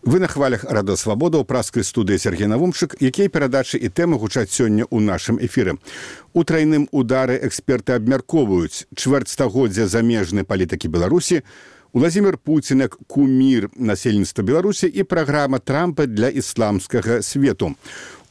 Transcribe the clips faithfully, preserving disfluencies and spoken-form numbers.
Вы на хвалях Радо Свабода ў праскай студыі Сергей Навумчык, якія перадачы і тэмы гучаць сёння ў нашым эфіры. У трайным удары эксперты абмяркоўваюць чвэрцьстагоддзя замежнай палітыкі Беларусі, Уладзімір Пуцін як кумір насельніцтва Беларусі і праграма Трампа для ісламскага свету.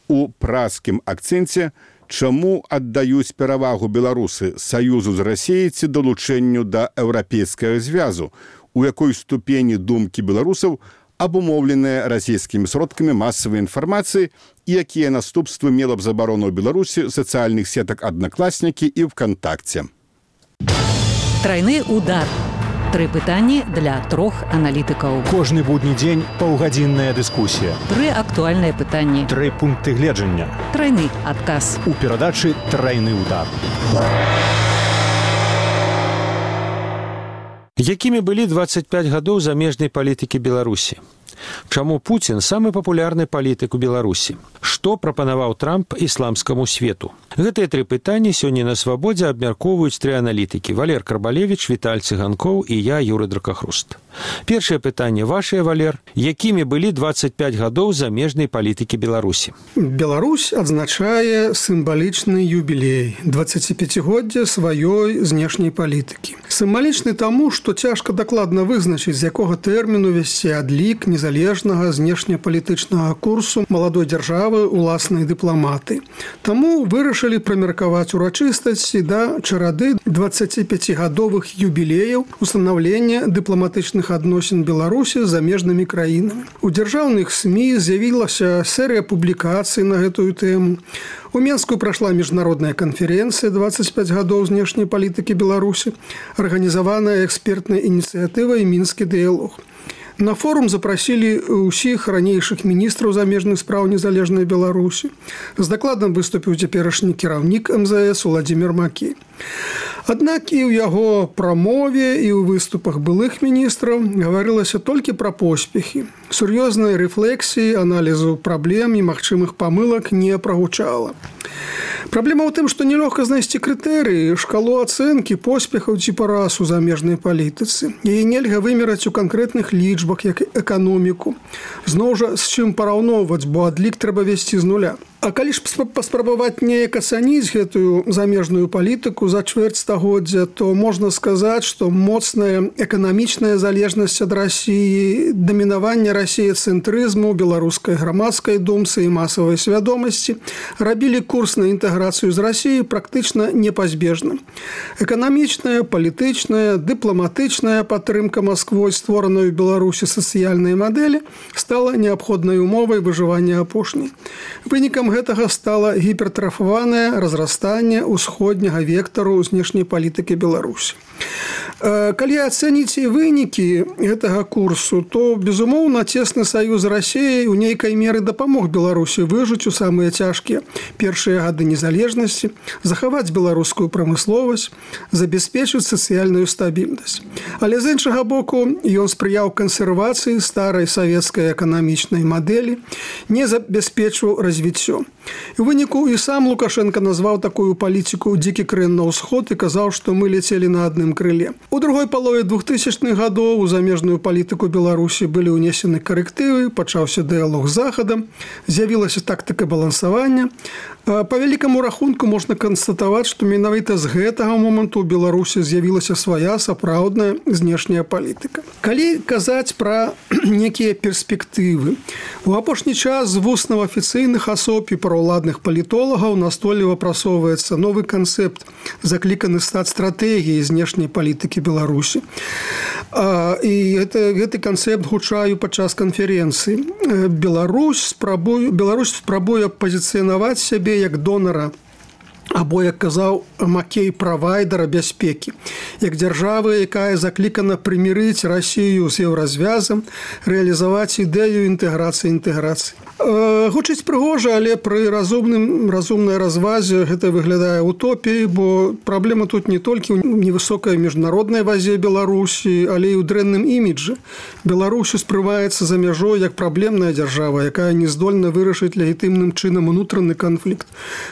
У праскім акцэнце чаму аддаюць перавагу беларусы саюзу з Расіяй ці далучэнню да еўрапейскага звязу, у якой ступені думкі беларусаў абумоўленыя расійскімі сродкамі масавай інфармацыі і якія наступствы мела б забарону ў Беларусі сацыяльных сетак «Аднакласнікі» і «ВКонтакце». Трайны удар. Тры пытанні для трох аналітыкаў. Кожны будні дзень паўгадзінная дыскусія. Тры актуальныя пытанні. Тры пункты гледжання. Трайны адказ. У перадачы «Трайны удар». Якімі былі дваццаць пяць гадоў замежнай палітыкі Беларусі? Чаму Пуцін самы папулярны палітык у Беларусі? Што прапанаваў Трамп ісламскаму свету? Гэтыя тры пытанні сёння на Свабодзе абмяркоўваюць тры аналітыкі: Валер Карбалевіч, Віталь Цыганкоў і я, Юры Дракахруст. Першае пытанне вашае, Валер. Якімі былі дваццаць пяць гадоў замежнай палітыкі Беларусі? Беларусь адзначае сімвалічны юбілей дваццаціпяцігоддзя сваёй знешняй палітыкі. Сімвалічны таму, што цяжка дакладна вызначыць, з якога тэрміну весці адлік незалежнага знешнепалітычнага курсу маладой дзяржавы уласнай дыпламаты. Таму вырашылі прамеркаваць урачыстасці да чарады дваццаціпяцігадовых юбілеяў устанаўлення дыпламатычных адносін Беларусі з замежнымі краінамі. У дзяржаўных СМІ з'явілася серыя публікацый на гэтую тэму. У Менску прайшла міжнародная канферэнцыя дваццаць пяць гадоў знешняй палітыкі Беларусі, арганізаваная экспертнай ініцыятывай «Мінскі дыялог». На форум запрасілі ўсіх ранейшых міністраў замежных спраў незалежнай Беларусі. З дакладам выступіў цяперашні кіраўнік эм зэ эс Уладзімір Макей. Аднак і ў яго прамове, і ў выступах былых міністраў гаварылася толькі пра поспехі. Сур'ёзнай рэфлексіі, аналізу праблем і магчымых памылак не прагучала. Праблема ў тым, што нелёгка знайсці крытэрыі, шкалу ацэнкі поспехаў ці параз у замежнай палітыцы. Яе нельга вымераць у канкрэтных лічбах, як эканоміку. Зноў жа, з чым параўноўваць, бо адлік трэба весці з нуля. А калі ж паспрабаваць неяк ацаніць гэтую замежную палітыку за чвэрць стагоддзя, то можна сказаць, што моцная эканамічная залежнасць ад Расіі, дамінаванне расіяцэнтрызму, беларускай грамадскай думцы і масавай свядомасці рабілі курс на інтэграцыю з Расіяй практычна непазбежным. Эканамічная, палітычная, дыпламатычная падтрымка Масквой створаной у Беларусі сацыяльнай мадэлі стала неабходнай умовай выжывання апошняй. Вынікам гэтага стала гіпертрафаванае разрастанне ўсходняга вектару знешняй палітыкі Беларусі. Калі ацэніць вынікі гэтага курсу, то, безумоўна, цесны саюз з Расіяй у нейкай меры дапамог Беларусі выжыць у самыя цяжкія першыя гады незалежнасці, захаваць беларускую прамысловасць, забяспечыць сацыяльную стабільнасць. Але з іншага боку, ён спрыяў кансервацыі старай савецкай эканамічнай мадэлі, не забяспечваў развіццё. У выніку і сам Лукашенко назваў такую палітыку «дзікі крэн на ўсход» і казаў, што мы ляцелі на адным крыле. У другой палове двухтысячных гадоў у замежную палітыку Беларусі былі ўнесены карэктывы, пачаўся дыялог з Захадам, з'явілася тактыка балансавання. Па вялікаму рахунку можна канстатаваць, што менавіта з гэтага моманту ў Беларусі з'явілася свая сапраўдная знешняя палітыка. Калі казаць пра некія перспектывы, у апошні час з вуснаў афіцыйных асоб і праўладных палітолагаў настойліва прасоўваецца новы канцэпт, закліканы стаць стратэгіяй знешняй палітыкі Беларусі. І гэта, гэты канцэпт гучаю падчас канферэнцыі. Беларусь спрабуе, Беларусь спрабуе пазіцыянаваць сябе як донара, або, як казаў Макей, правайдара бяспекі, як дзяржава, якая заклікана прымірыць Расію з еўразвязам, рэалізаваць ідэю інтэграцыі інтэграцыі. Гучыць прыгожа, але пры разумным, разумнай развазе гэта выглядае утопіяй, бо праблема тут не толькі ў невысокай міжнароднай вазе Беларусі, але і ў дрэнным іміджы. Беларусь успрымаецца за мяжой як праблемная дзяржава, якая не здольна вырашыць легітымным чынам унутраны канфлікт.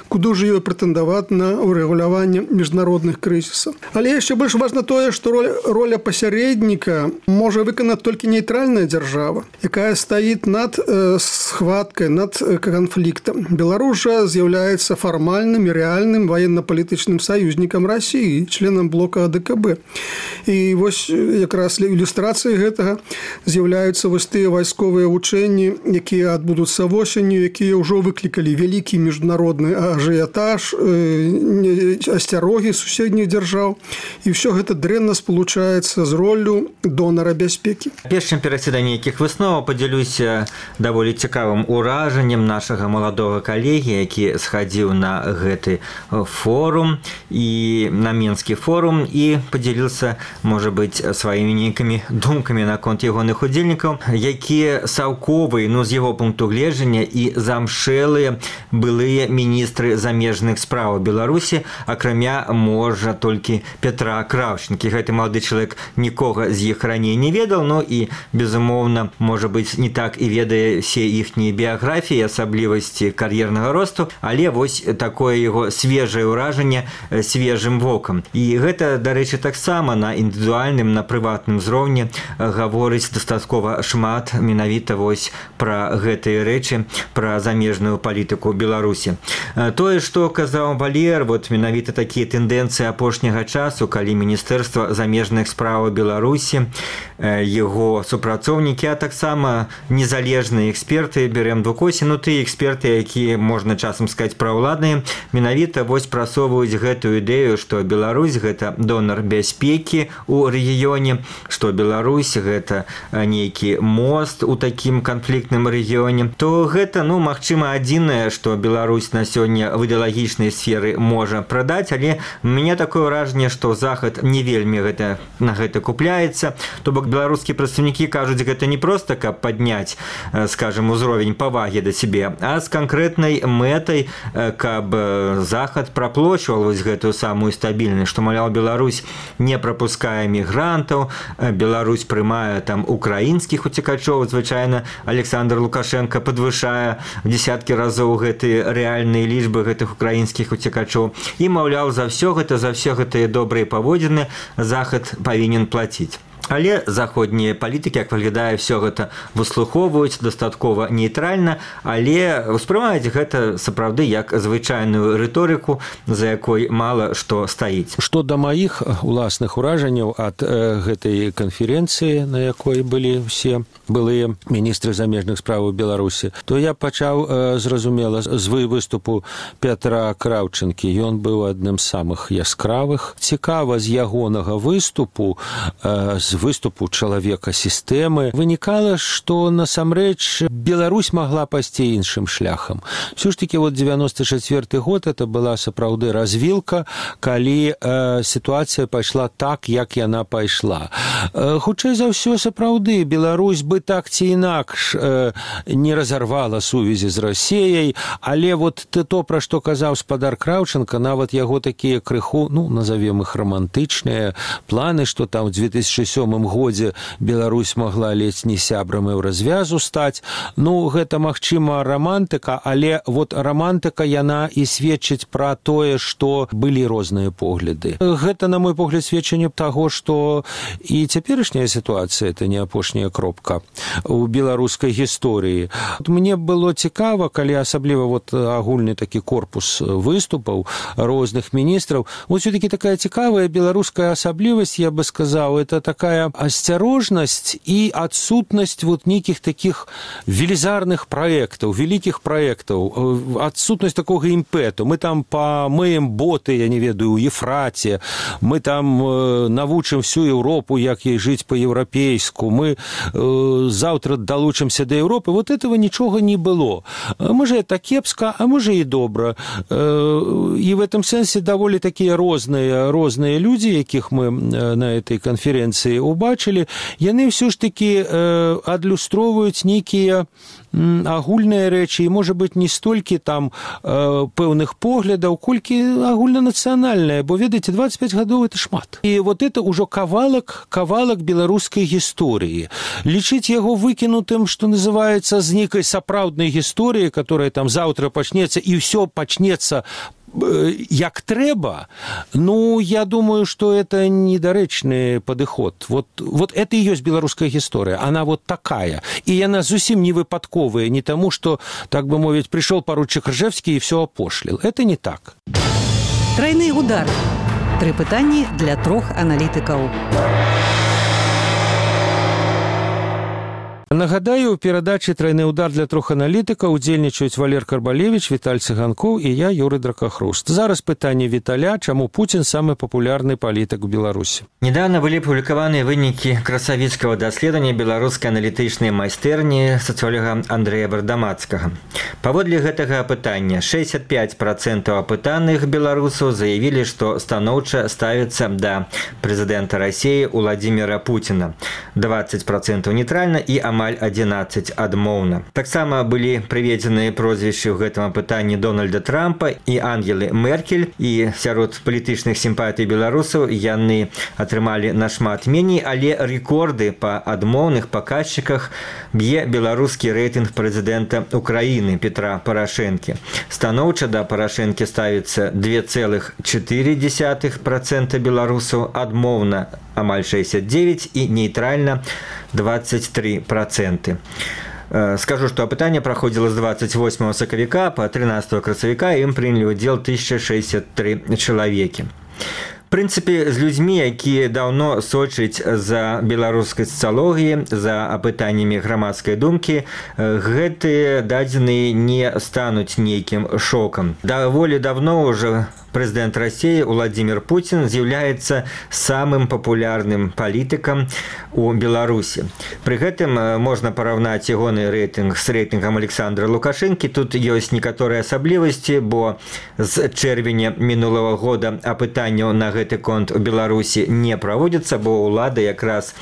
Куды ж ёй прэтэндаваць прэтэндаваць на урэгуляванне міжнародных крызісаў. Але яшчэ больш важна тое, што роля, роля пасярэдніка можа выканаць толькі нейтральная дзяржава, якая стаіць над э, схваткай, над э, канфліктам. Беларусь жа з'яўляецца фармальным і рэальным ваенна-палітычным саюзнікам Расіі, членам блока А Дэ Ка Бэ. І вось якраз ілюстрацыяй гэтага з'яўляюцца вось тыя вайсковыя вучэнні, якія адбудуцца восенню, якія ўжо выклікалі вялікі міжнародны ажыятаж, э, асцярогі суседніх дзяржаў. І ўсё гэта дрэнна спалучаецца з роллю донара бяспекі. Перш чым перайсці да нейкіх высноваў, падзялюся даволі цікавым уражаннем нашага маладога калегі, які схадзіў на гэты форум і на Мінскі форум і падзяліўся, можа быць, сваімі нейкімі думкамі наконт ягоных удзельнікаў, якія саўковыя, ну, з яго пункту гледжання і замшэлыя былыя міністры замежных спраў Беларусі, акрамя, можа, толькі Петра Краўчынкі. Гэты малады чалавек нікога з іх раней не ведаў, ну і, безумоўна, можа быць, не так і ведае все іхнія біяграфіі, асаблівасці кар'ернага росту, але вось такое яго свежае ўражанне свежым вокам. І гэта, дарэчы, таксама на індывідуальным, на прыватным узроўні гаворыць дастаткова шмат менавіта вось пра гэтыя рэчы, пра замежную палітыку Беларусі. Тое, што казаў Валер, вот менавіта такія тэндэнцыі апошняга часу, калі Міністэрства замежных спраў Беларусі, яго супрацоўнікі, а таксама незалежныя эксперты, берем двукосі, ну тыя эксперты, якія, можна часам сказаць, праўладныя, менавіта вось прасоўваюць гэтую ідэю, што Беларусь гэта донар бяспекі ў рэгіёне, што Беларусь гэта нейкі мост у такім канфліктным рэгіёне, то гэта, ну, магчыма, адзінае, што Беларусь на сёння в ідэалагічнай сферы можа прадаць, але у мяне такое ўражанне, што Захад не вельмі гэта, на гэта купляецца. То бок беларускія прадстаўнікі кажуць, гэта не проста, каб падняць, скажем, узровень павагі да сябе, а з канкрэтнай мэтай, каб Захад праплочваў вось гэтую самую стабільнасць, што, маўляў, Беларусь не прапускае мігрантаў, Беларусь прымае там украінскіх уцекачоў, звычайна Александр Лукашенко падвышае в десяткі разоў гэтыя рэальныя лічбы гэтых украінскіх уцекачоў. І, маўляў, за ўсё гэта, за ўсе гэтыя добрыя паводзіны Захад павінен плаціць. Але заходнія палітыкі, як выглядае, все гэта выслухоўваюць дастаткова нейтральна, але ўспрымаюць гэта сапраўды як звычайную рыторыку, за якой мала што стаіць. Што да маіх уласных уражанняў ад э, гэтай канферэнцыі, на якой былі все былыя міністры замежных спраў Беларусі, то я пачаў, э, зразумела, з выступу Петра Краўчынкі. Ён быў адным з самых яскравых. Цікава з ягонага выступу, э, з выступу чалавека сістэмы вынікала, што насамрэч Беларусь магла пайсці іншым шляхам. Все ж таки вот девяносто четвёрты год это была сапраўды развілка, калі э, сітуацыя пайшла так, як яна пайшла. Э, хутчэй за ўсё сапраўды Беларусь бы так ці інакш э, не разарвала сувязі з Расіяй, але вот то, пра што казаў спадар Краўчынка, нават яго такія крыху, ну, назовем іх романтычныя планы, што там в две тысячи сёмым годзе Беларусь магла ледзь не сябрам і ў развязу стаць. Ну, гэта, магчыма, романтыка, але вот романтыка, яна і сведчыць пра тое, што былі розныя погляды. Гэта, на мой погляд, сведчанне таго, што і цяперашняя сітуацыя, это не апошняя кропка у беларускай гісторыі. Мне было цікава, калі асабліва вот агульны такі корпус выступаў розных міністраў, вот все-таки такая цікавая беларуская асаблівасць, я бы сказаў, это такая асцярожнасць і адсутнасць вот нейкіх такіх велізарных праектаў, вялікіх праектаў, адсутнасць такога імпэту. Мы там памыем боты, я не ведаю, у Ефраце, мы там э, навучым всю Европу, як ей жыць по-еўрапейску, мы э, заўтра далучымся да Европы. Вот этого нічога не было. Можа, это кепска, а можа і добра. Э, і в этом сэнсе даволі такія розныя, розныя людзі, якіх мы на этой канферэнцыі убачылі, яны ўсё ж такі э, адлюстроўваюць нейкія агульныя рэчы, і, можа быць, не столькі там э, пэўных поглядаў, колькі агульнанацыянальнае, бо, ведаеце, двадцать пять гадоў – это шмат. І вот это ўжо кавалак, кавалак беларускай гісторыі. Лічыць яго выкінутым, што называецца, з нейкай сапраўднай гісторыі, которая там заўтра пачнецца, і ўсё пачнецца як трэба, ну, я думаю, что это недарэчны падыход. Вот, вот это и есть беларуская гісторыя. Она вот такая. И яна зусім не выпадковая, не тому, что, так бы мовить, пришел поручик Ржевский и все опошлил. Это не так. Тройны удар. Тры пытанні для трох аналітыкаў. Нагадаю, у перадачы «Тройны удар» для трох аналітыкаў удзельнічаюць Валер Карбалевич, Віталь Цыганкоў і я, Юрый Дракахруст. Зараз пытанне Віталя, чаму Пуцін самы папулярны палітык у Беларусі. Недавно былі апублікаваныя вынікі красавіцкага даследавання беларускай аналітычнай майстэрні сацыолога Андрэя Бардамацкага. Паводле гэтага апытання шэсцьдзесят пяць працэнтаў апытаных беларусаў заявілі, што станоўча ставяцца да прэзідэнта Расіі Уладзіміра Пуціна, дваццаць працэнтаў нейтральна і амаль адзінаццаць адмоўна. Таксама былі прыведзеныя прозвішчы ў гэтым апытанні Дональда Трампа і Ангелы Меркель, і сярод палітычных сімпатый беларусаў яны атрымалі нашмат меней, але рэкорды па адмоўных паказчыках б'е беларускі рэйтынг прэзідэнта Украіны Петра Парашэнкі. Станоўча да Парашэнкі ставіцца два цэлых чатыры дзесятых працэнта беларусаў, адмоўна амаль шэсцьдзесят дзевяць і нейтральна двадцать три процента. Скажу, что опытание проходило с двадцать восьмого сакавіка по тринадцатого красавіка, и им приняли удел тысяча шестьдесят три человеки. В прынцыпе, з людзьмі, якія даўно сочаць за беларускай сацыялогіяй, за апытаннямі грамадскай думкі, гэтыя дадзеныя не стануць нейкім шокам. Даволі давно ўжо прэзідэнт Расіі Уладзімір Пуцін з'яўляецца самым папулярным палітыкам у Беларусі. Пры гэтым можна параўнаць ягоны рэйтынг з рэйтынгам Александра Лукашэнкі. Тут ёсць некаторыя асаблівасці, бо з чэрвеня мінулага года апытанняў на гэты конт у Беларусі не праводзіцца, бо ўлада якраз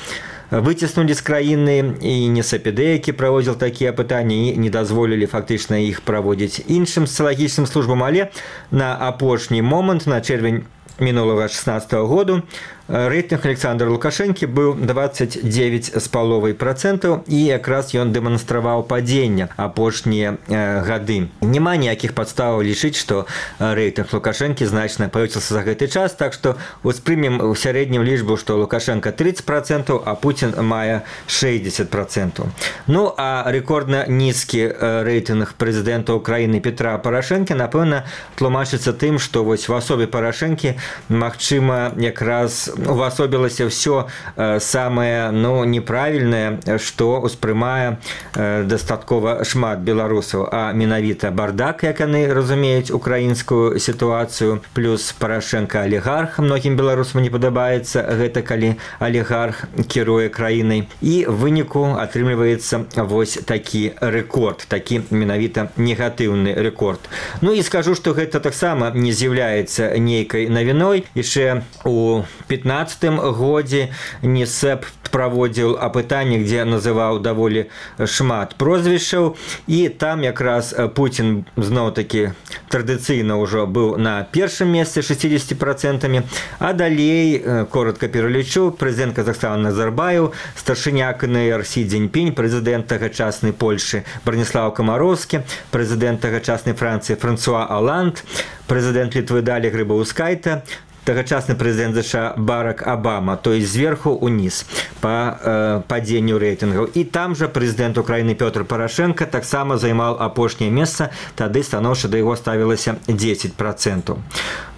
выціснулі з краіны і НСПД, які праводзіў такія апытанні, і не дазволілі фактычна іх праводзіць іншым сацыялагічным службам, але на апошні момант, на чэрвень мінулага шэснаццатага году, рэйтынг Александра Лукашэнкі быў двадцать девять з паловай працэнтаў, і якраз ён дэманстраваў падзенне апошнія э, гады. Няма ніякіх падставаў лічыць, што рэйтынг Лукашэнкі значна павысіўся за гэты час, так што успрымем у сярэднім лічбу, што Лукашенко тридцать процентов, а Пуцін мае шэсцьдесят процентов. Ну, а рэкордна нізкі рэйтынг прэзідэнта Украіны Петра Парашэнкі, напэўна, тлумачыцца тым, што вось в асобе Парашэнкі, магчыма, якраз увасобілася ўсё э, самае, ну, неправільнае, што ўспрымае э, дастаткова шмат беларусаў, а менавіта бардак, як яны разумеюць украінскую сітуацыю, плюс Парашэнка алігарх. Многім беларусам не падабаецца гэта, калі алігарх кіруе краінай. І в выніку атрымліваецца вось такі рэкорд, такі менавіта негатыўны рэкорд. Ну і скажу, што гэта таксама не з'яўляецца нейкай навіной. Яшчэ у пятнаццатым годзе НСЭП праводзіў апытанне, дзе называў даволі шмат прозвішчаў, і там якраз Пуцін зноў-такі традыцыйна ўжо быў на першым месцы шестьдесят процентов, а далей, коротко пералічу, прэзідэнт Казахстана Назарбаев, старшыня КНР Сі Цзіньпінь, прэзідэнт тагачаснай Польшы Браніслаў Камароўскі, прэзідэнт тагачаснай Францыі Франсуа Оланд, прэзідэнт Літвы Далі Грыбаўскайта, тагачасны прэзідэнт ЗША Барак Обама, то есть зверху униз по э, паденню рэйтынгаў. І там жа прэзідэнт Украіны Пётр Парашэнка таксама займаў апошняе месца, тады станоўча да яго ставілася десять процентов.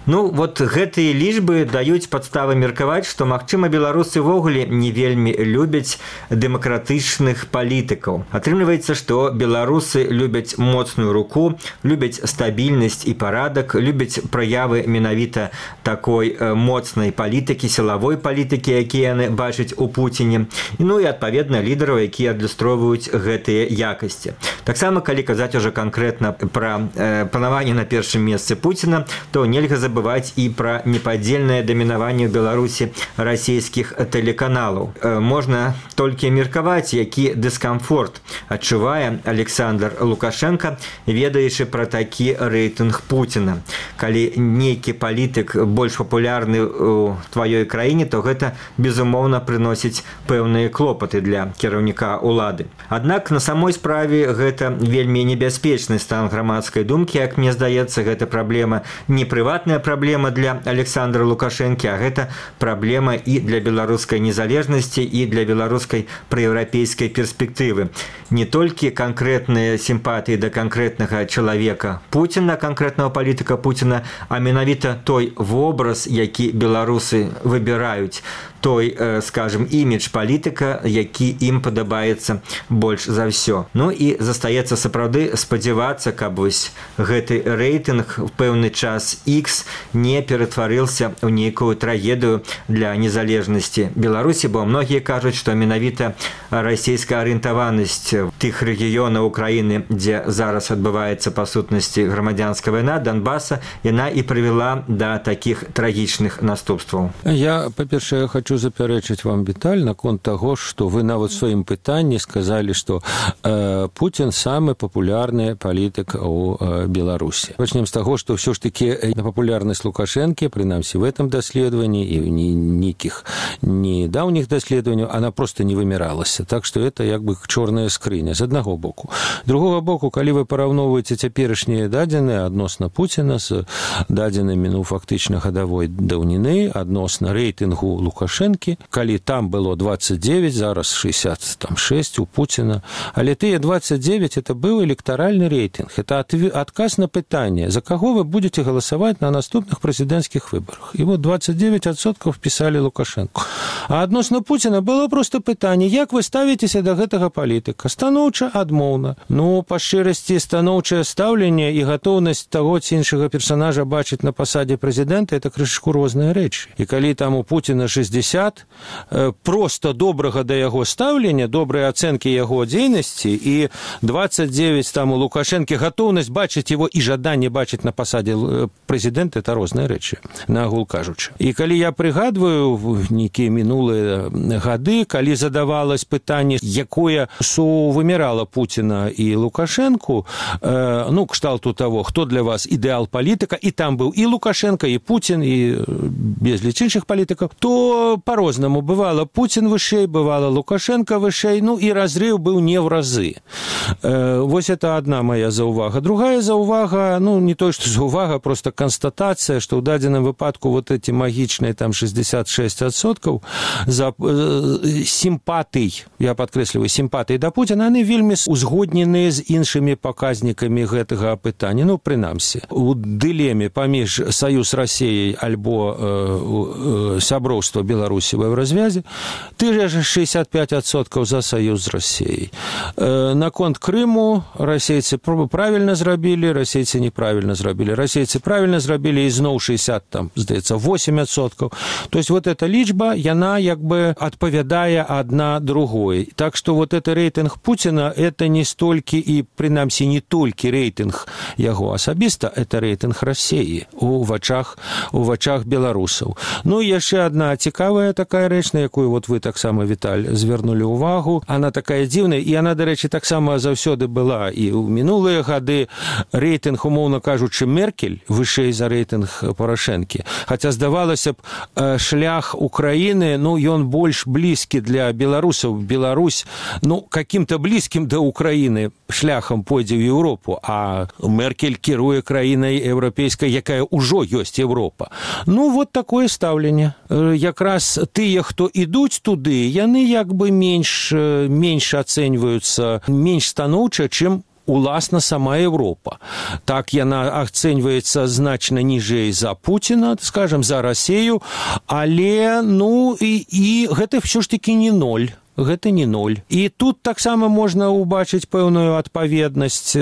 Ну, вот гэтыя лічбы даюць падставы меркаваць, што, магчыма, беларусы ўвогуле не вельмі любяць дэмакратычных палітыкаў. Атрымліваецца, што беларусы любяць моцную руку, любяць стабільнасць і парадак, любяць праявы менавіта такой моцнай палітыкі, сілавой палітыкі, якія яны бачаць у Пуціне. Ну і, адпаведна, лідараў, якія адлюстроўваюць гэтыя якасці. Таксама, калі казаць ужо канкрэтна пра э, панаванне на першым месцы Пуціна, то нельга забываць забывать и про неподдельное доминаванне в Беларуси российских телеканалов. Можно только мерковать, який дискомфорт адчувае Александр Лукашенко, ведаючы про такі рэйтынг Путина. Калі нейкі палітык больш папулярны ў тваёй краіне, то гэта, безумоўна, прыносіць пэўныя клопаты для кіраўніка улады. Аднак на самой справе гэта вельмі небяспечны стан грамадскай думкі. Як мне здаецца, гэта праблема не прыватная праблема для Александра Лукашэнкі, а гэта праблема і для беларускай незалежнасці, і для беларускай праеўрапейскай перспектывы. Не толькі канкрэтныя сімпатыі да канкрэтнага чалавека Пуціна, канкрэтнага палітыка Пуціна, а менавіта той вобраз, які беларусы выбіраюць, той, скажем, імідж палітыка, які ім падабаецца больш за ўсё. Ну і застаецца сапраўды спадзявацца, каб вось гэты рэйтынг в пэўны час X не ператварыўся ў нейкую трагедыю для незалежнасці Беларусі, бо многія кажуць, што менавіта расійская арыентаванасць тых рэгіёнаў Украіны, дзе зараз адбываецца па сутнасці грамадзянская вайна, Донбаса, яна і прывяла да такіх трагічных наступстваў. Я, па-першае, хочу запярэчыць вам деталь наконт таго, што вы нават у сваім пытанні сказалі, што э, Путін самы папулярны палітык у э, Беларусі. Пачнем з таго, што ўсё ж такі папулярнасць Лукашэнкі, прынамсі в этом даследаванні і нейкіх недаўніх даследаванняў, она просто не выміралася. Так што это як бы чорная скрыня з аднаго боку. Другога боку, калі вы параўноўваеце цяперашнія дадзеныя адносна Пуціна з дадзенымі, ну, фактычна гадавой даўніны, адносна рэйтынгу Лукашэнкі, калі там было двадцать девять, зараз шестьдесят шесть у Путина, але тыя двадцать девять это быў электаральны рэйтынг. Это адказ на пытанне, за каго вы будете галасаваць на наступных прэзідэнцкіх выбарах. І вот двадцать девять адсоткаў пісалі Лукашенко. А адносна Путина было просто пытанне, як вы ставіцеся да гэтага палітыка? Станоўча, адмоўна. Ну, па шчырасці, станоўчае стаўленне і гатоўнасць таго ці іншага персонажа бачыць на пасадзе прэзідэнта — это крышку розныя рэчы. І калі там у Путина шестьдесят, просто добрага да яго стаўлення, добрыя ацэнкі яго дзейнасці, і двадцать девять там у Лукашэнкі гатоўнасць бачыць его і жаданне бачыць на пасадзе прэзідэнта — это розныя рэчы, нагул кажучы. І калі я прыгадваю нейкія мінулыя гады, калі задавалось пытанне, якое сувымірала Пуціна і Лукашэнку, э, ну, кшталту таго, хто для вас ідэал палітыка, і там быў і Лукашенко, і Путін, і безліч іншых палітыкаў, то по-рознаму. Бывало Путин вышэй, бывало Лукашенко вышэй, ну и разрыв был не в разы. Э, вось это одна моя заувага. Другая заувага, ну не то, что заувага, просто констатация, что в дадзеным выпадку вот эти магичные там шестьдесят шесть адсоткаў за э, симпатый, я подкрэсліваю, симпатый да Путина, они вельмі узгодненыя з іншымі паказнікамі гэтага пытання. Ну, прынамсі, у дылеме паміж Саюз Россией альбо э, э, сяброўства Беларусі в Евразвязе, ты же шестьдесят пять адсоткаў за Саюз з Россией. Э, наконт Крыму расейцы правильно зрабілі, расейцы неправильно зрабілі. Расейцы правильно зрабілі, і зноў шестьдесят, там, здаецца, восемь адсоткаў. То есть вот эта лічба, яна як бы адпавядае адна другой. Так что вот это рейтинг Путина, это не столькі і, прынамсі, не толькі рейтинг яго асабіста, это рейтинг России у вачах, у вачах беларусаў. Ну і яшчэ одна цікавая такая рэч, на якую вот вы таксама, Віталь, звярнулі ўвагу. Она такая дзіўная, і она, дарэчы, таксама заўсёды была і ў мінулыя гады. Рейтинг, умоўна кажучы, Меркель вышэй за рейтинг Порошэнкі. Хаця, здавалася б, шлях Украіны, ну, ён больш блізкі для беларусаў. Беларусь, ну, каким-то блізкім да Украіны шляхам пойдзе ў Еўропу, а Меркель кіруе краінай еўрапейскай, якая ўжо ёсць Еўропа. Ну, вот такое стаўленне. Якраз тыя, хто ідуць туды, яны як бы менш, менш ацэньваюцца, менш станоўча, чым уласна сама Европа. Так яна ацэньваецца значна ніжэй за Путина, скажем, за Россию, але, ну, і, і гэта ўсё ж таки не ноль. Гэта не ноль. І тут таксама можна ўбачыць пэўную адпаведнасць.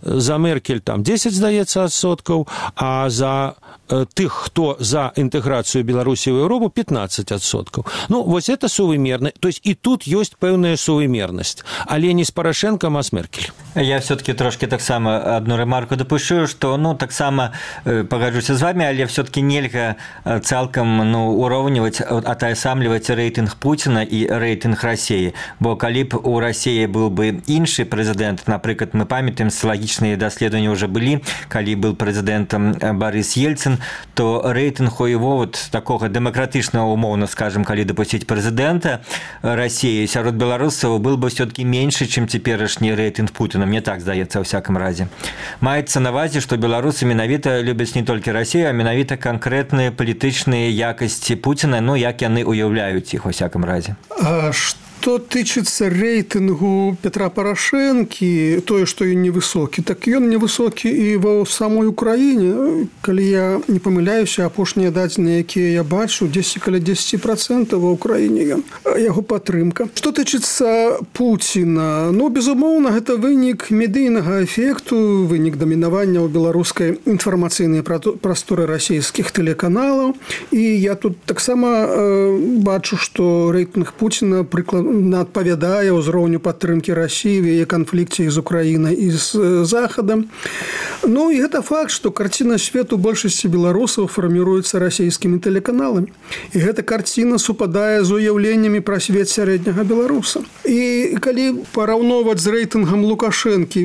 За Меркель там десять, здаецца, адсоткаў, а за тых, хто за інтэграцыю Беларусі ў Еўропу, пятнадцать адсоткаў. Ну, вось это сувымерна. То есть і тут ёсць пэўная сувымернасць. Але не з Парашэнкам, а з Меркель. Я все-таки трошки таксама одну ремарку допущу, что, ну, таксама э, погоджуся з вами, але все-таки нельга цалкам, ну, уроўніваць, атаясамліваць рэйтынг Пуціна і рэйтынг Расіі. Бо калі б у Расіі был бы іншы прэзідэнт, напрыклад, мы памятаем, социологічныя даследаванні уже былі, калі был прэзідэнтам Борис Ельцин, то рэйтынг у его вот такого дэмакратычнага, умоўна скажем, калі дапусціць прэзідэнта Расіі сярод беларусаў был бы все-таки меньше, чым цяперашні рэйтынг Путина. Мне так здаецца, ў всяком разе. Маецца на увазе, што беларусы менавіта любяць не толькі Расію, а менавіта канкрэтныя палітычныя якасці Пуціна, ну, як яны уяўляюць іх у всяком разе. А што тычыцца рэйтынгу Петра Парашэнкі, тое, што ён невысокі, так ён невысокі і ва самой Украіне. Калі я не памыляюся, апошнія дадзеныя, якія я бачу, дзесяць каля дзесяць процентаў ва Украіне ён, яго падтрымка. Што тычыцца Пуціна, ну, безумоўна, гэта вынік медыйнага эфекту, вынік дамінавання ў беларускай інфармацыйнай прасторы расійскіх тэлеканалаў. І я тут таксама э, бачу, што рэйтынг Пуціна прыкладна адпавядае ўзроўню падтрымкі Расіі в яе канфлікце з Украінай і з Захадам. Ну, і гэта факт, што карціна свету большасці беларусаў фарміруецца расійскімі тэлеканаламі. І гэта карціна супадае з уяўленнямі пра свет сярэдняга беларуса. І калі параўноўваць з рэйтынгам Лукашэнкі,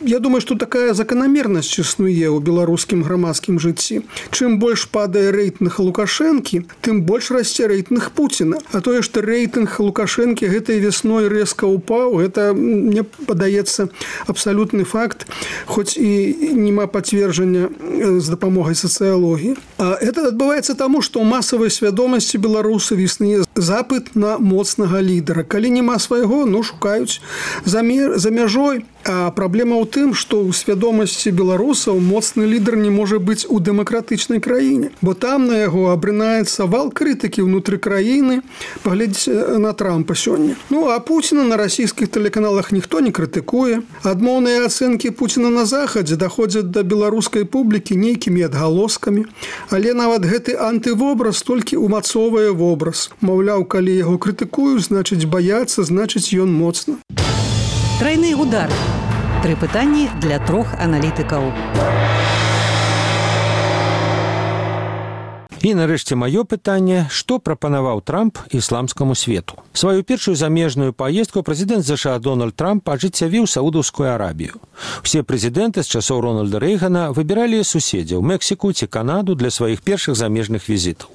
я думаю, што такая заканамернасць існуе ў беларускім грамадскім жыцці. Чым больш падае рэйтынг Лукашэнкі, тым больш расце рэйтынг Пуціна. А тое, што рэйтынг Лукашэнкі гэтай весной рэзка ўпаў, гэта, мне падаецца, абсалютны факт, хоць і нема пацверджання з дапамогай сацыялогіі. А гэта адбываецца таму, што ў масавай свядомасці беларусаў існуе запыт на моцнага лідара. Калі няма свайго, ну, шукаюць за, мер, за мяжой. А праблема ў тым, што ў свядомасці беларусаў моцны лідар не можа быць у дэмакратычнай краіне, бо там на яго абрынаецца вал крытыкі ўнутры краіны, паглядзіце на Трампа сёння. Ну, а Пуціна на расійскіх тэлеканалах ніхто не крытыкуе. Адмоўныя ацэнкі Пуціна на Захадзе даходзяць да беларускай публікі нейкімі адгалоскамі, але нават гэты антывобраз толькі умацоўвае вобраз. Маўляў, калі яго крытыкуюць, значыць баяцца, значыць ён моцны. Тройны удар. Тры пытанні для трох аналітыкаў. І нарэшце маё пытанне, што прапанаваў Трамп ісламскаму свету. Сваю першую замежную паездку прэзідэнт ЗША Дональд Трамп ажыццявіў Саудаўскую Арабію. Усе прэзідэнты з часоў Рональда Рэйгана выбіралі суседзяў Мексіку ці Канаду для сваіх першых замежных візітаў.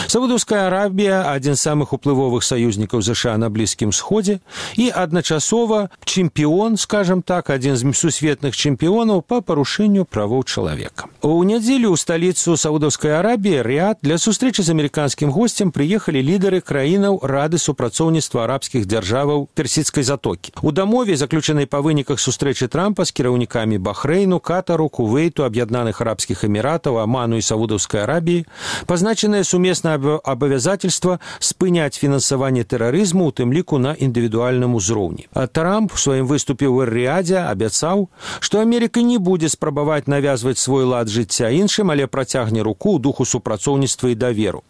Саудаўская Арабія – адзін з самых уплывовых саюзнікаў ЗША на Блізкім Сходзе і адначасова чэмпіён, скажам так, адзін з сусветных чэмпіёнаў па парушэнню правоў чалавека. У нядзелю ў сталіцу Саудаўскай Арабіі Рыяд для сустрэчы з амерыканскім госцем прыехалі лідары краінаў Рады супрацоўніцтва арабскіх дзяржаваў Персідскай затокі. У дамове, заключанай па выніках сустрэчы Трампа з кіраўнікамі Бахрэйну, Катару, Кувейту, Аб'яднаных Арабскіх Эміратаў, Аману і Саудаўскай Арабіі, пазначаныя сумесна абавязательства спыняць фінансаванне тэрарызму, у тым ліку на індывідуальным узроўні. А Трамп у сваім выступе ў Эр-Рыядзе абяцаў, што Амерыка не будзе спрабаваць навязваць свой лад жыцця іншым, але працягне руку ў духу супрацоўніцтва і даверу.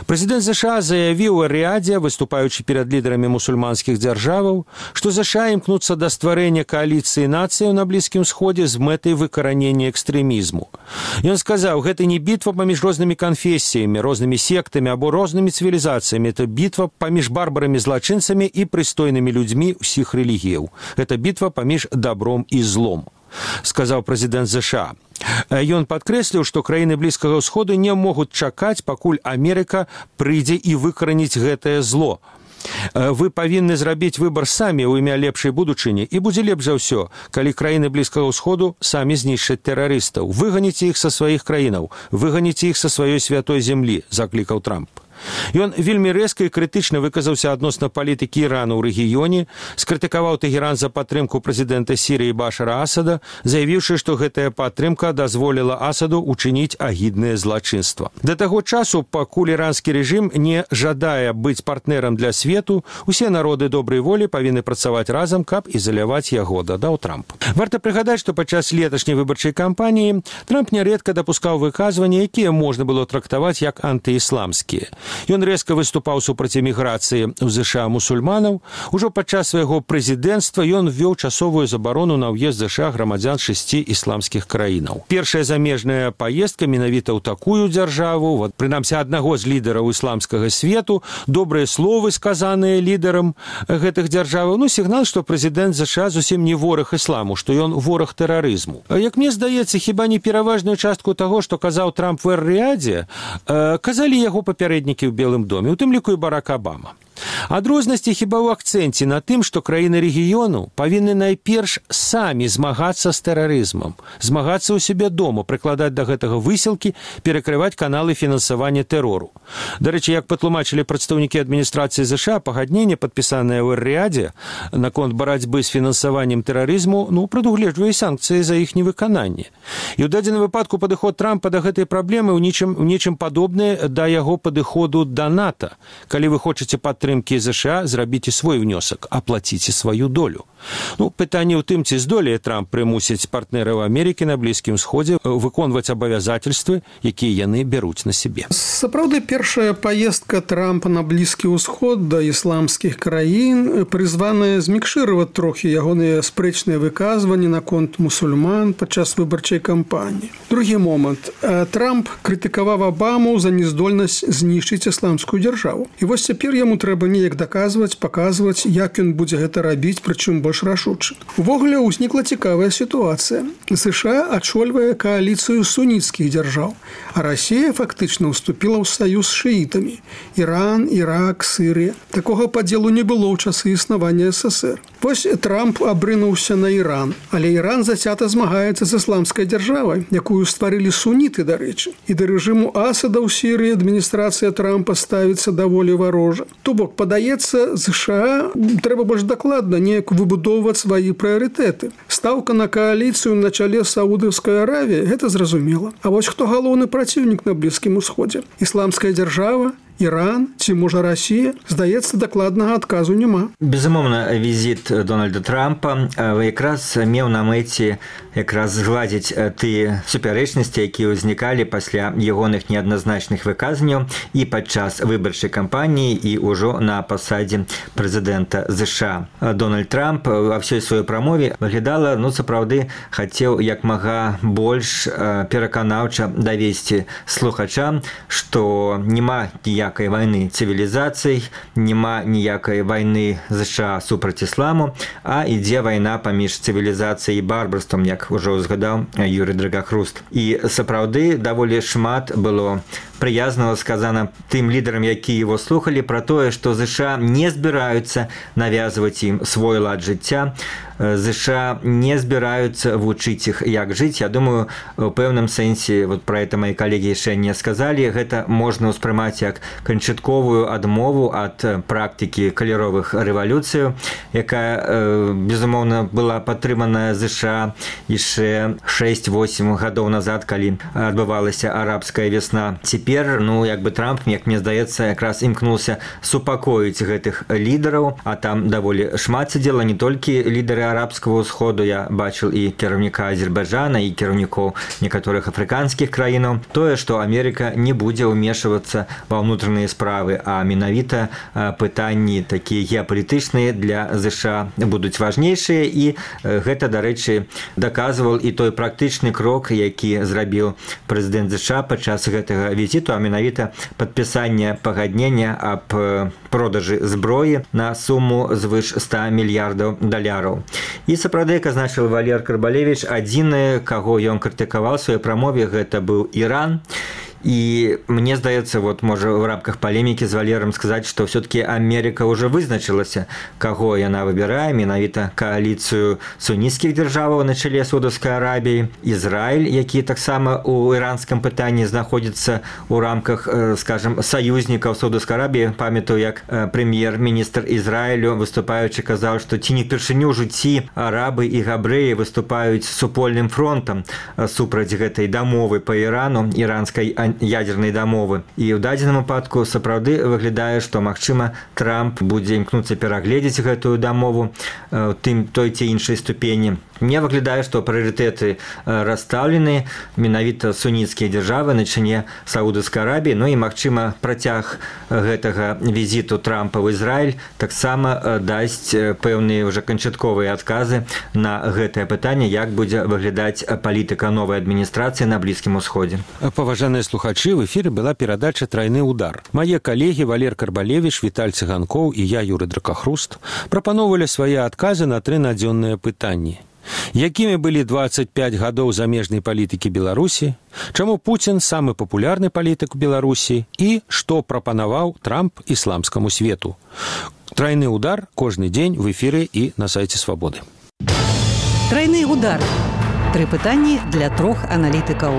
Прэзідэнт ЗША заявіў у Эр-Рыядзе, выступаючы перад лідарамі мусульманскіх дзяржаваў, што ЗША імкнуцца да стварэння кааліцыі нацыяў на Блізкім Сходзе з мэтай выкаранення экстрэмізму. Ён сказаў, гэта не бітва паміж рознымі канфесіямі, рознымі сектамі або рознымі цывілізацыямі. Это бітва паміж барбарамі-злачынцамі і прыстойнымі людзьмі ўсіх рэлігіяў. Гэта бітва паміж добром і злом, сказаў прэзідэнт ЗША. Ён падкрэсліў, што краіны Блізкага ўсходу не могуць чакаць, пакуль Амерыка прыйдзе і выкараніць гэтае зло. Вы павінны зрабіць выбар самі ў імя лепшай будучыні, і будзе лепш за ўсё, калі краіны Блізкага ўсходу самі знішчаць тэрарыстаў. Выганіце іх са сваіх краінаў, выганіце іх са сваёй святой зямлі, заклікаў Трамп. Ён вельмі рэзка і крытычна выказаўся адносна палітыкі Ірану ў рэгіёне, скрытыкаваў Тэгеран за падтрымку прэзідэнта Сірыі Башара Асада, заявіўшы, што гэтая падтрымка дазволіла Асаду учыніць агіднае злачынства. Да таго часу, пакуль іранскі рэжым не жадае быць партнерам для свету, усе народы добрай волі павінны працаваць разам, каб ізаляваць яго, дадаў Трамп. Варта прыгадаць, што падчас леташняй выбарчай кампаніі Трамп нярэдка дапускаў выказванні, якія можна было трактаваць як антыісламскія. Ён рэзка выступаў супраць эміграцыі ў ЗША мусульманаў. Ужо падчас свайго прэзідэнцтва ён ввёў часовую забарону на ўезд ЗША грамадзян шасці ісламскіх краінаў. Першая замежная паездка менавіта ў такую дзяржаву, вот, прынамсі аднаго з лідараў ісламскага свету, добрыя словы, сказаныя лідарам гэтых дзяржаваў, ну, сігнал, што прэзідэнт ЗША зусім не вораг ісламу, што ён вораг тэрарызму. Як мне здаецца, хіба не пераважную частку таго, што казаў Трамп в Эр-Рыядзе, казалі яго папярэднікі ў Белым доме, у тым ліку і Барак Абама. Адрознасці хіба ў акцэнце на тым, што краіны рэгіёну павінны найперш самі змагацца з тэрарызмам, змагацца ў сябе дома, прыкладаць да гэтага высілкі, перакрываць каналы фінансавання тэрору. Дарэчы, як патлумачылі прадстаўнікі адміністрацыі ЗША, пагадненне, падпісанае ў Эр-Рыядзе наконт барацьбы з фінансаваннем тэрарызму, ну, прадугледжвае санкцыі за іх невыкананне. І ў дадзеным выпадку падыход Трампа да гэтай праблемы ў нечым, ў нечым падобны да яго падыходу да НАТО. Калі вы хочаце падтрымаць ЗША, зрабіце свой внёсак, аплаціце сваю долю. Ну, пытанне ў тым, ці здолее Трамп прымусіць партнераў Амерыкі на Блізкім Сходзе выконваць абавязательствы, якія яны бяруць на сябе. Сапраўды, першая паездка Трампа на Блізкі ўсход да ісламскіх краін прызваная змікшыраваць трохі ягоныя спрэчныя выказванні наконт мусульман падчас выбарчай кампаніі. Другі момант. Трамп крытыкаваў Абаму за нездольнасць знішчыць ісламскую дзяржаву. І вось цяпер яму трэба неяк даказваць, паказваць, як ён будзе гэта рабіць, прычым больш рашуча. Увогуле ўзнікла цікавая сітуацыя. ЗША ачольвае кааліцыю суніцкіх дзяржаў, а Расія фактычна ўступіла ў саюз з шыітамі. Іран, Ірак, Сырыя. Такога падзелу не было ў часы існавання СССР. Вось Трамп абрынуўся на Іран, але Іран зацята змагаецца з ісламскай дзяржавай, якую стварылі суніты, дарэчы. І да рэжыму Асада ў Сірыі адміністрацыя Трампа ставіцца даволі варожа. То бок, падаецца, ЗША трэба больш дакладна неяк выбудоўваць свае прыярытэты. Стаўка на кааліцыю на чале Саудаўскай Аравіі – гэта зразумела. А вось хто галоўны праціўнік на Блізкім Усходзе? Ісламская дзяржава? Іран ці, можа, Расія? Здаецца, дакладнага адказу няма. Безумоўна, візіт Дональда Трампа якраз меў на мэце якраз згладзіць тыя супярэчнасці, якія ўзнікалі пасля ягоных неадназначных выказанняў і падчас выбарчай кампаніі і ўжо на пасадзе прэзідэнта ЗША. Дональд Трамп ва ўсёй сваёй прамове выглядала, ну, сапраўды, хацеў як мага больш пераканаўча давесці слухачам, што няма ніякай вайны цывілізацый, няма ніякай вайны ЗША супраць ісламу, а ідзе вайна паміж цывілізацыяй і барбарствам, як ужо згадаў Юрый Драгахруст. І сапраўды даволі шмат было прыязнага сказана тым лідарам, якія его слухалі, пра тое, што ЗША не збіраюцца навязваць ім свой лад жыцця, ЗША не збіраюцца вучыць іх, як жыць. Я думаю, у пэўным сэнсе, вот пра гэта мои калегі яшчэ не сказалі, гэта можна ўспрымаць як канчатковую адмову ад практыкі каляровых рэвалюцыяў, якая, безумоўна, была падтрыманая ЗША яшчэ шэсць-восем гадоў назад, калі адбывалася арабская весна. Цяпер, ну, як бы Трамп, як мне здаецца, якраз імкнуўся супакоіць гэтых лідараў, а там даволі шмат сядзела не толькі лідары арабскага ўсходу, я бачыў і кіраўніка Азербайджана, і кіраўнікоў некаторых афрыканскіх краінаў. Тое, што Амерыка не будзе ўмешвацца ва ўнутраныя справы, а менавіта пытанні такія геапалітычныя для ЗША будуць важнейшыя, і гэта, дарэчы, даказваў і той практычны крок, які зрабіў прэзідэнт ЗША падчас гэтага візіту, а менавіта падпісанне пагаднення аб продажы зброі на суму звыш ста мільярдаў даляраў. І сапраўды, як азначыў Валер Карбалевіч, адзіны, каго ён крытыкаваў у сваёй прамове, гэта быў Іран. И мне здаецца, вот можа в рамках палемікі з Валером сказаць, што все-таки Америка уже вызначылася, каго яна выбірае, менавіта кааліцыю суніцкіх дзяржаваў на чале Саудаўскай Арабіі, Ізраіль, які таксама у іранскім пытанні знаходзіцца у рамках, скажем, саюзнікаў Саудаўскай Арабіі. Памятаю, як прэм'ер-міністр Ізраілю, выступаючы, казаў, што ці не впершыню ў жыцці арабы і габрэі выступаюць супольным фронтам супраць гэтай дамовы па Ірану, іранскай ядернай дамовы. І ў дадзеным выпадку сапраўды выглядае, што, магчыма, Трамп будзе імкнуцца перагледзець гэтую дамову тым той ці іншай ступені. Мне выглядае, што прыярытэты расстаўлены, менавіта суніцкія дзяржавы на чыне Саудаўскай Арабіі, ну і, магчыма, працяг гэтага візіту Трампа ў Ізраіль таксама дасць пэўныя ўжо канчатковыя адказы на гэтае пытанне, як будзе выглядаць палітыка новай адміністрацыі на Блізкім Усходзе. Паважаныя слухачы, в эфіры была перадача «Трайны удар». Мае калегі Валер Карбалевіч, Віталь Цыганкоў і я, Юры Дракахруст, прапаноўвалі свае адказы на тры надзённыя пытанні. Якімі былі дваццаць пяць гадоў замежнай палітыкі Беларусі, чаму Пуцін самы папулярны палітык у Беларусі і што прапанаваў Трамп ісламскаму свету. Трайны удар кожны дзень в эфіры і на сайце Свабоды. Трайны удар. Тры пытанні для трох аналітыкаў.